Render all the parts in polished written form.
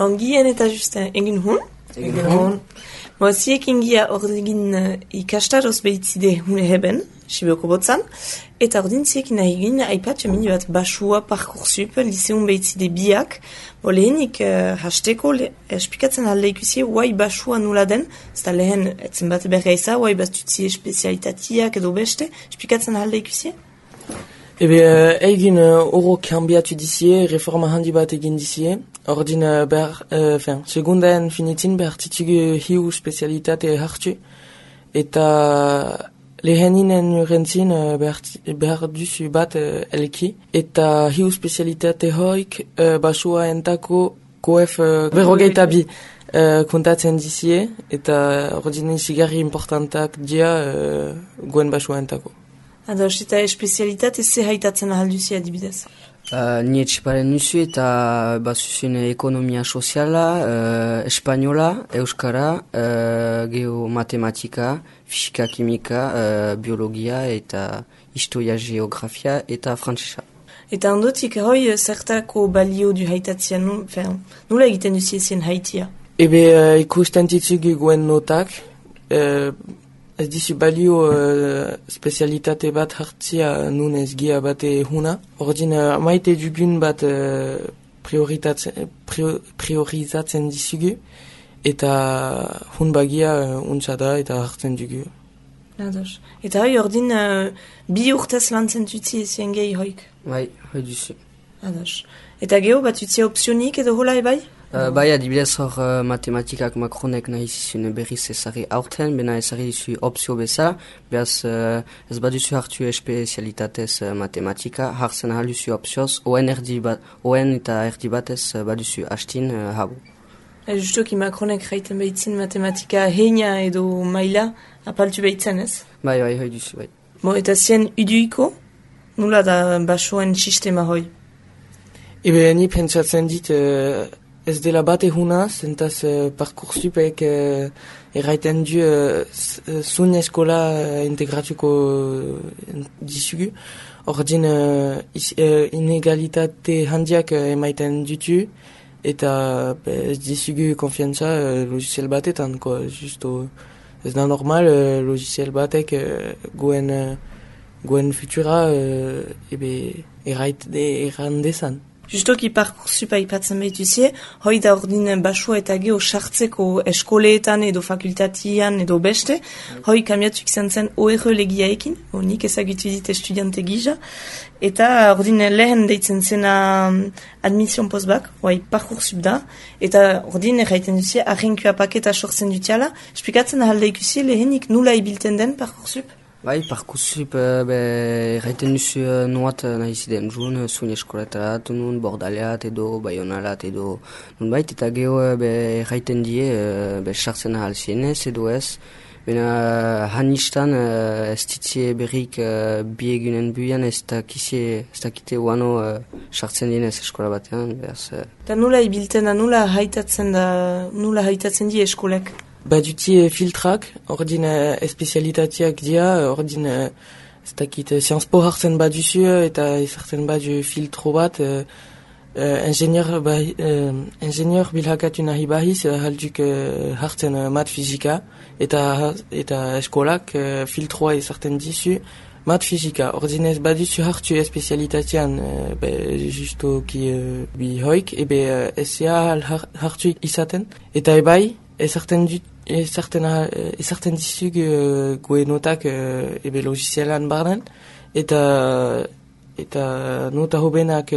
Ongien eta just egin hun? Egin hun. Ziek ingia ordegin ikastaroz behitzide hune heben, Sibioko botzan, eta ordin ziek nahi egin aipatxe minu bat basua Parcoursup, liseun behitzide biak, lehenik hasteko espikatzen halde ikusie, guai basua nula den, zeta lehen etzen bat bergaiza, guai bastutzie spezialitatiak edo beste, espikatzen halde ikusie? Egin oro kambiatu dizie, reforma handi bat egin dizie, ordin segundaen finitin behar titugu hiu spezialitate hartu, eta leheninen urentzin behar duzu bat elki, eta hiu spezialitate hoik basua entako koef berrogeita bi kontatzen dizie, eta ordin zigarri importantak dia goen basua entako. Ados, eta espezialitate ze haitatzen ahalduzia adibidez? Ni etxiparen nuzu eta bazuzun ekonomia soziala, espainola, euskara, geomatematika, fisika, kimika, biologia eta historia, geografia eta frantzesa. Eta ondotik hoi zertako balio du haitatzia, nula egiten duzi ezien haitia? Ikusten ditzugu guen notak, ez dizu balio spezialitate bat hartzia nun ez gia bate huna. Ordin maite dugun bat priorizatzen dizugu eta hun bagia untsa da eta hartzen dugu. Ados. Eta hoi ordin bi urtez lantzen tutzi ezien gehi hoik? Bai, hoi duzu. Ados. Eta geho bat tutzi opzionik edo hola ebai? Bai, adibidez hor matematikak Macronek nahi zizun berriz ezari aurten, bena ezari dizu opzio bezala, behaz ez baduzu hartu espezialitatez matematika, hartzen ahal duzu opzioz, oen eta erdi batez baduzu hastin habu. Justoki Macronek jaiten behitzen matematika heina edo maila apaltu behitzen ez? Bai, hoi duzu, bai. Eta zien uduiko, nula da basoen sistema hoi? Ni pentsatzen dit ez dela bate huna, zentaz Parcoursupek erraiten du zun eskola integratuko dizugu. Ordin inegalitate handiak emaiten dutu, eta ez dizugu konfiantza logiciel batetan, justo ez da normal logiciel batek goen futura errandezan. Justoki Parcoursup aipatzen behituzie, hoi da ordin basua eta geho sartzeko eskoleetan edo fakultatian edo beste, hoi kamiatuk izan zen ORE legiaekin, nik ezagutu dit estudiante gisa, eta ordin lehen deitzen zena admission postbak, hoi Parcoursup da, eta ordin erraiten duzie, arrenkua paketa sortzen dutiala, esplikatzen ahalde ikusie lehenik nula ibilten den Parcoursup? Bai, Parcoursup erraiten duzu nuat nahi ziden jun, zuen eskoletara nun, Bordaleat edo Baionalat edo nunbait, eta geho erraiten die sartzen ahal zienez edo ez, bena hanistan ez ditzie berrik bi egunen buian ez dakite uano sartzen dienez eskola batean. Eta nula ibilten da, nula haitatzen die eskolek? Baduti filtrak, ordin espezialitateak dia, ordin ez dakit Sciences Po hartzen baduzu eta ezartzen badu filtro bat, ingenieur bilhakatu nahi bahiz halduk hartzen mat fizika, eta eskolak filtroa ezartzen dizu mat fizika. Ordin ez baduzu hartu espezialitatean justo ki bi hoik, ez hartu izaten, eta ebai ezartzen dizug goe notak logizielan barnen, eta nota hobenak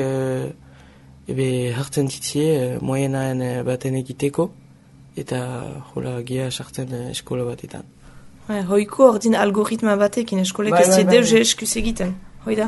hartzen ditzie moienaen baten egiteko, eta hola gia sartzen eskola batetan. Hoiko ordin algoritma batekin eskolek ez deus eskuz egiten, hoi da?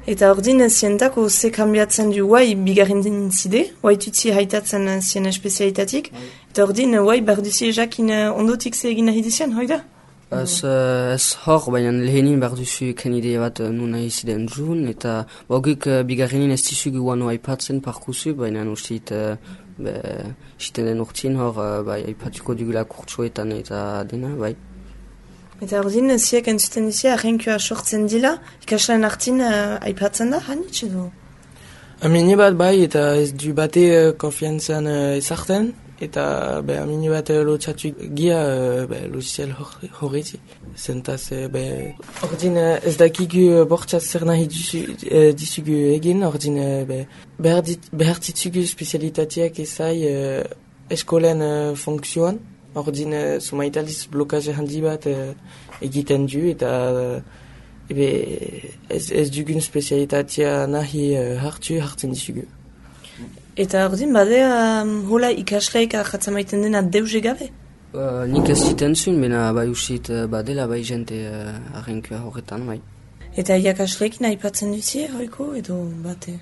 Eta ordin zientako ze kambiatzen du guai bigarren zide, guai tutzi haitatzen zien espezialitatik, eta ordin guai barduzi jakin ondotik ze egin nahi dizien, hoi da? Ez hor, baina lehenin barduzi ken idea bat nun nahi ziden jun, eta bogik bigarrenin ez dizu guano aipatzen Parcoursup, baina ustit ziten den urtsin hor aipatuko dugula kurtsoetan eta dena, bai. Eta ordin, ziak entzuten dizia, arrenkua sortzen dila, ikasleen hartin aipatzen da, hanitz edo? Amini bat bai, eta ez du bate konfiantzan ezarten, eta amini bat lotxatu gia logiciel horreti. Zentaz, ordin ez dakigu bortxaz zer nahi dizugu egin, ordin behar ditugu spezialitateak ezai eskolen funtzioan, ordin sumaitaliz blokaje handi bat egiten du, eta ez dugun spezialitatea nahi hartzen dizugu. Eta ordin badea hola ikasleik ahatzen maiten dena deuze gabe? Nik ez ziten zuen, bena bai usit badela bai jente arrenkua horretan, bai. Eta iakasleekin aipatzen duzie, hoiko, edo bate?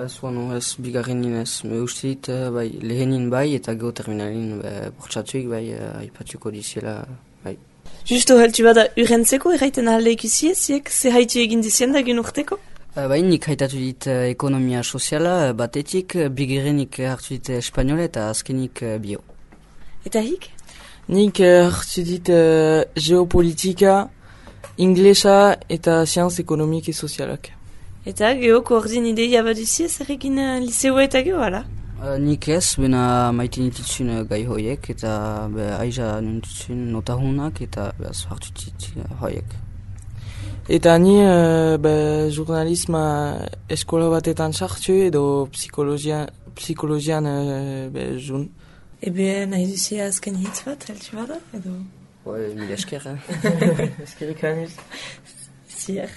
Ez bueno, ez bigarrenin ez. Me ustit bai lehenin bai eta geoterminalin bortxatuik bai aipatuko diziela, bai. Justo heltu bada urrentzeko erraiten ahalde ikusie, ziek ze haiti egin dizien da gen urteko? Bai, nik haitatu dit ekonomia soziala batetik, bigarrenik hartu dit espanyola eta azkenik bio. Eta hik? Nik hartu dit geopolitika, inglesa eta sianz ekonomik e sozialak. Eta geoko ordin ideia baduzie zer egin liseoa eta geho, ala? Nik ez, bena maite nititzun gai hoiek eta aiza nititzun notahunak eta hartu dit hoiek. Eta ni jurnalisma eskola batetan sartu edo psikologian jun. Ebe nahi duzia azken hitz bat, heltu bada, edo? Mila esker, Eskerrik aniz. Zier.